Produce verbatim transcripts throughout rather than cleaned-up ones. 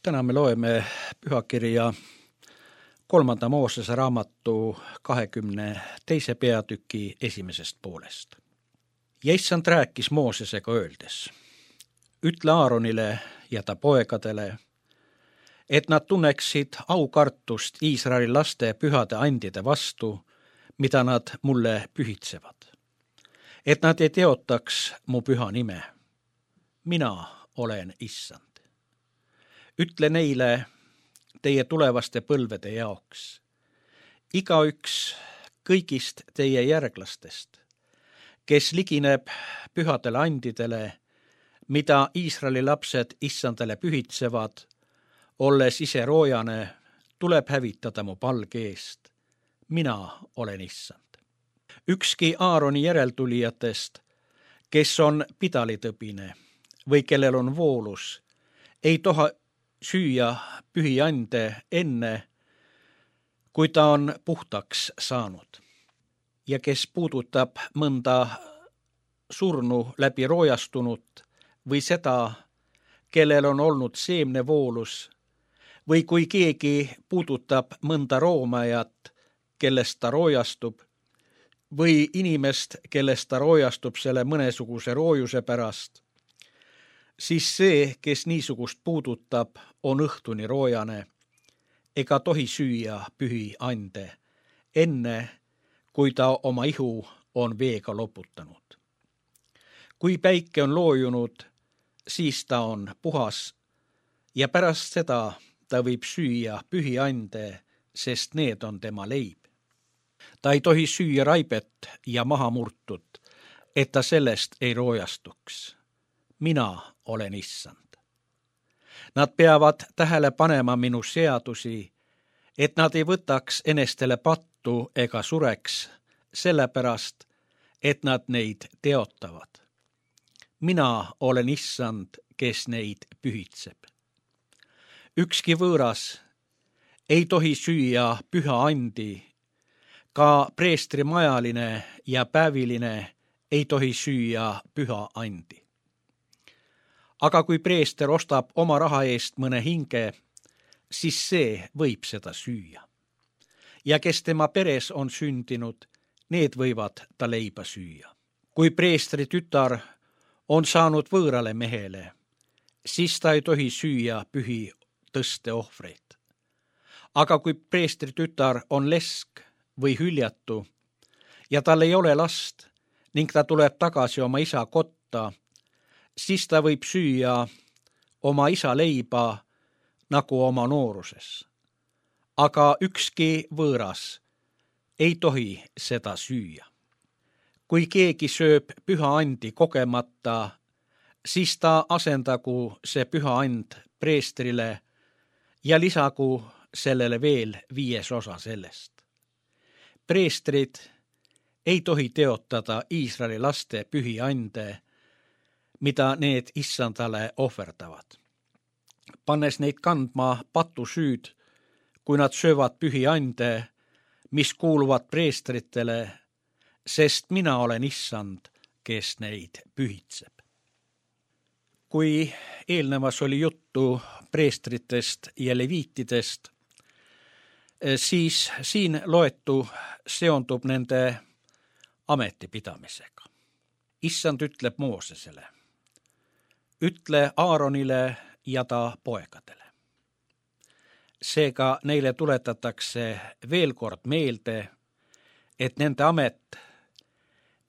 Täna me loeme pühakirja kolmanda Moosese raamatu kahekümne teise peatüki esimesest poolest. Ja issand rääkis Moosesega öeldes, ütle Aaronile ja ta poegadele, et nad tunneksid aukartust Iisraeli laste pühade andide vastu, mida nad mulle pühitsevad. Et nad ei teotaks mu püha nime. Mina olen issand. Ütle neile teie tulevaste põlvede jaoks. Igaüks kõigist teie järglastest, kes ligineb pühadele andidele, mida Iisraeli lapsed issandale pühitsevad, olles ise roojane, tuleb hävitada mu palge eest. Mina olen issand. Ükski Aaroni järeltulijatest, kes on pidalitõbine või kellel on voolus, ei toha süüa pühiande enne, kui ta on puhtaks saanud. Ja kes puudutab mõnda surnu läbi roojastunut või seda, kellel on olnud seemnevoolus, või kui keegi puudutab mõnda roomajat, kellest ta roojastub, või inimest, kellest ta roojastub selle mõnesuguse roojuse pärast, siis see, kes niisugust puudutab, on õhtuni roojane, ega tohi süüa pühi ande, enne kui ta oma ihu on veega loputanud. Kui päike on loojunud, siis ta on puhas ja pärast seda ta võib süüa pühi ande, sest need on tema leib. Ta ei tohi süüa raibet ja maha murtut, et ta sellest ei roojastuks. Mina olen issand. Nad peavad tähele panema minu seadusi, et nad ei võtaks enestele pattu ega sureks, sellepärast, et nad neid teotavad. Mina olen issand, kes neid pühitseb. Ükski võõras ei tohi süüa püha andi, ka preestrimajaline ja päeviline ei tohi süüa püha andi. Aga kui preester ostab oma raha eest mõne hinge, siis see võib seda süüa. Ja kes tema peres on sündinud, need võivad ta leiba süüa. Kui preestri tütar on saanud võõrale mehele, siis ta ei tohi süüa pühi tõsteohvreid. Aga kui preestri tütar on lesk või hüljatu ja tal ei ole last ning ta tuleb tagasi oma isa kotta, siis ta võib süüa oma isa leiba nagu oma nooruses. Aga ükski võõras ei tohi seda süüa. Kui keegi sööb püha andi kogemata, siis ta asendagu see püha and preestrile ja lisagu sellele veel viies osa sellest. Preestrid ei tohi teotada Iisraeli laste pühi ande, mida need issandale ohverdavad. Pannes neid kandma patusüüd, kui nad söövad pühi ande, mis kuuluvad preestritele, sest mina olen issand, kes neid pühitseb. Kui eelnevas oli juttu preestritest ja leviitidest, siis siin loetu seondub nende ametipidamisega. Issand ütleb Moosesele, ütle Aaronile ja ta poegadele. Seega neile tuletatakse veel kord meelde, et nende amet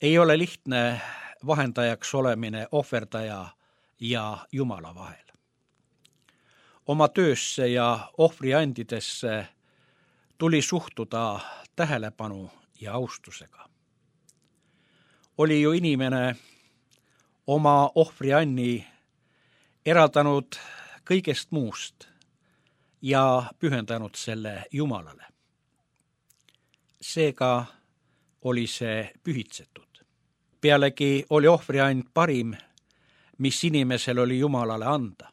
ei ole lihtne vahendajaks olemine ohverdaja ja Jumala vahel. Oma töösse ja ohvriandidesse tuli suhtuda tähelepanu ja austusega. Oli ju inimene oma ohvrianni eraldanud kõigest muust ja pühendanud selle Jumalale. Seega oli see pühitsetud. Pealegi oli ohvriand parim, mis inimesel oli Jumalale anda.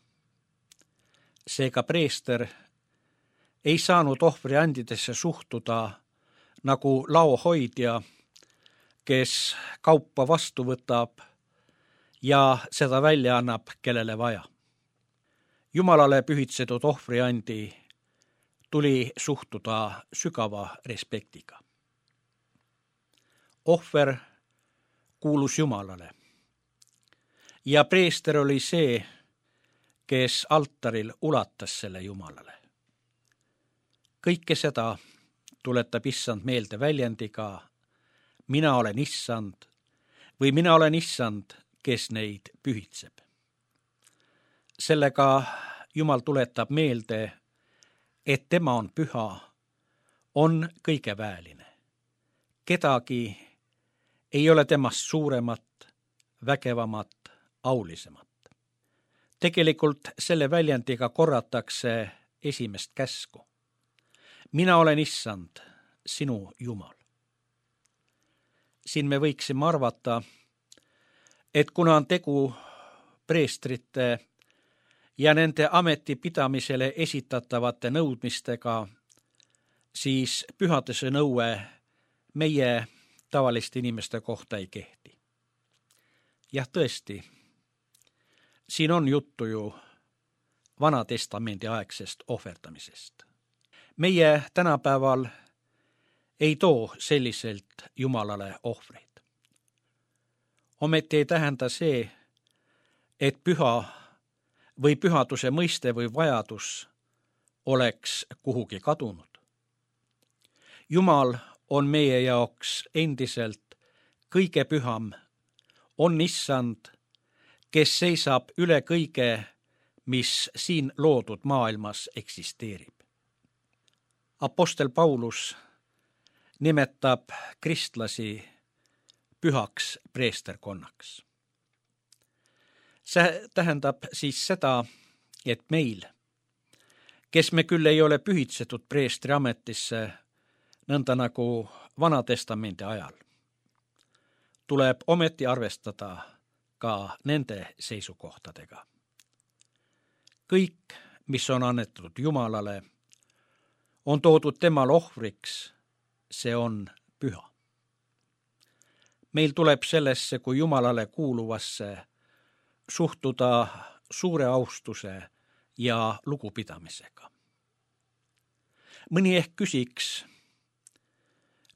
Seega preester ei saanud ohvriandidesse suhtuda nagu laohoidja, kes kaupa vastu võtab ja seda välja annab, kellele vaja. Jumalale pühitsetud ohvriandi tuli suhtuda sügava respektiga. Ohver kuulus Jumalale ja preester oli see, kes altaril ulatas selle Jumalale. Kõike seda tuletab issand meelde väljendiga mina olen issand või mina olen issand, kes neid pühitseb. Sellega Jumal tuletab meelde, et tema on püha, on kõigeväeline. Kedagi ei ole temast suuremat, vägevamat, aulisemat. Tegelikult selle väljendiga korratakse esimest käsku. Mina olen issand, sinu Jumal. Siin me võiksime arvata, et kuna on tegu preestrite ja nende ametipidamisele esitatavate nõudmistega, siis pühaduse nõue meie tavaliste inimeste kohta ei kehti. Jah, tõesti, siin on juttu ju Vana Testamendi aegsest ohverdamisest. Meie tänapäeval ei too selliselt Jumalale ohvreid. Ometi ei tähenda see, et püha või pühaduse mõiste või vajadus oleks kuhugi kadunud. Jumal on meie jaoks endiselt kõige püham, on issand, kes seisab üle kõige, mis siin loodud maailmas eksisteerib. Apostel Paulus nimetab kristlasi pühaks preesterkonnaks. See tähendab siis seda, et meil, kes me küll ei ole pühitsetud preestri ametisse, nõnda nagu Vana Testamendi ajal, tuleb ometi arvestada ka nende seisukohtadega. Kõik, mis on annetatud Jumalale, on toodud temal ohvriks, see on püha. Meil tuleb sellesse kui Jumalale kuuluvasse suhtuda suure austuse ja lugupidamisega. Mõni ehk küsiks,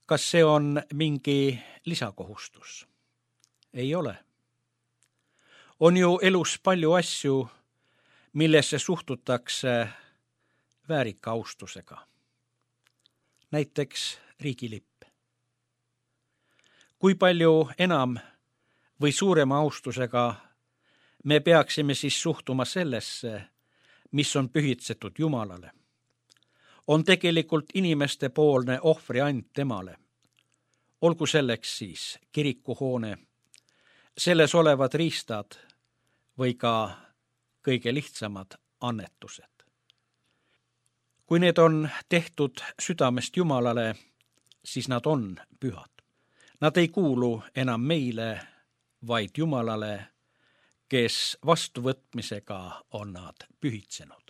kas see on mingi lisakohustus? Ei ole. On ju elus palju asju, millesse suhtutakse väärika austusega. Näiteks riigilipp. Kui palju enam või suurema austusega me peaksime siis suhtuma sellesse, mis on pühitsetud Jumalale, on tegelikult inimeste poolne ohvriand temale. Olgu selleks siis kirikuhoone, selles olevad riistad või ka kõige lihtsamad annetused. Kui need on tehtud südamest Jumalale, siis nad on pühad. Nad ei kuulu enam meile, vaid Jumalale, kes vastuvõtmisega on nad pühitsenud.